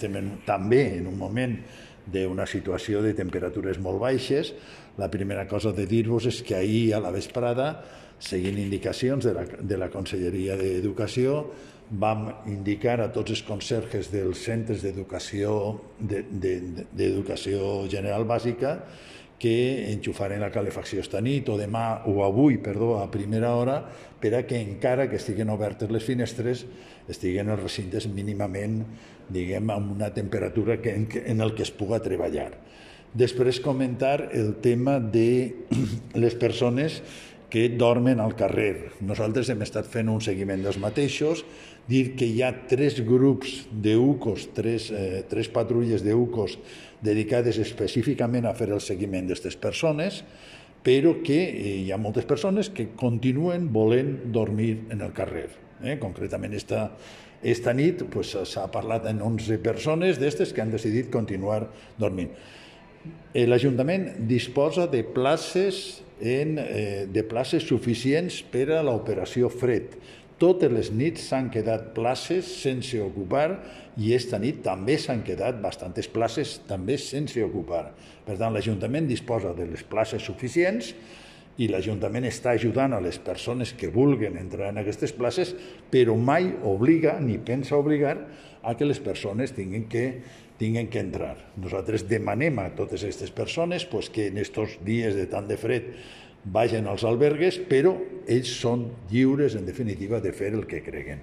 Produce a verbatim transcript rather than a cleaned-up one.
Estem també en un moment d'una situació de temperatures molt baixes. La primera cosa de dir-vos és que ahir a la vesprada, seguint indicacions de la, de la Conselleria d'Educació, vam indicar a tots els conserges dels centres d'educació de, de, d'educació general bàsica que enxufaren la calefacció esta nit o demà o avui, perdó, a primera hora, per a que encara que estiguen obertes les finestres estiguen els recintes mínimament, diguem, amb una temperatura que, en el que es puga treballar. Després comentar el tema de les persones que dormen al carrer. Nosaltres hem estat fent un seguiment dels mateixos, dir que hi ha tres grups d'U C O S, tres, eh, tres patrulles d'U C O S dedicades específicament a fer el seguiment d'aquestes persones, però que hi ha moltes persones que continuen volent dormir en el carrer. Eh? Concretament, esta, esta nit pues, s'ha parlat en onze persones d'estes que han decidit continuar dormint. L'Ajuntament disposa de places, en, eh, de places suficients per a l'operació fred. Totes les nits s'han quedat places sense ocupar i esta nit també s'han quedat bastantes places també sense ocupar. Per tant, l'Ajuntament disposa de les places suficients i l'Ajuntament està ajudant a les persones que vulguin entrar en aquestes places, però mai obliga ni pensa obligar a que les persones tinguin que, tinguin que entrar. Nosaltres demanem a totes aquestes persones pues, que en aquests dies de tant de fred vagin als albergues, però ells són lliures, en definitiva, de fer el que creguen.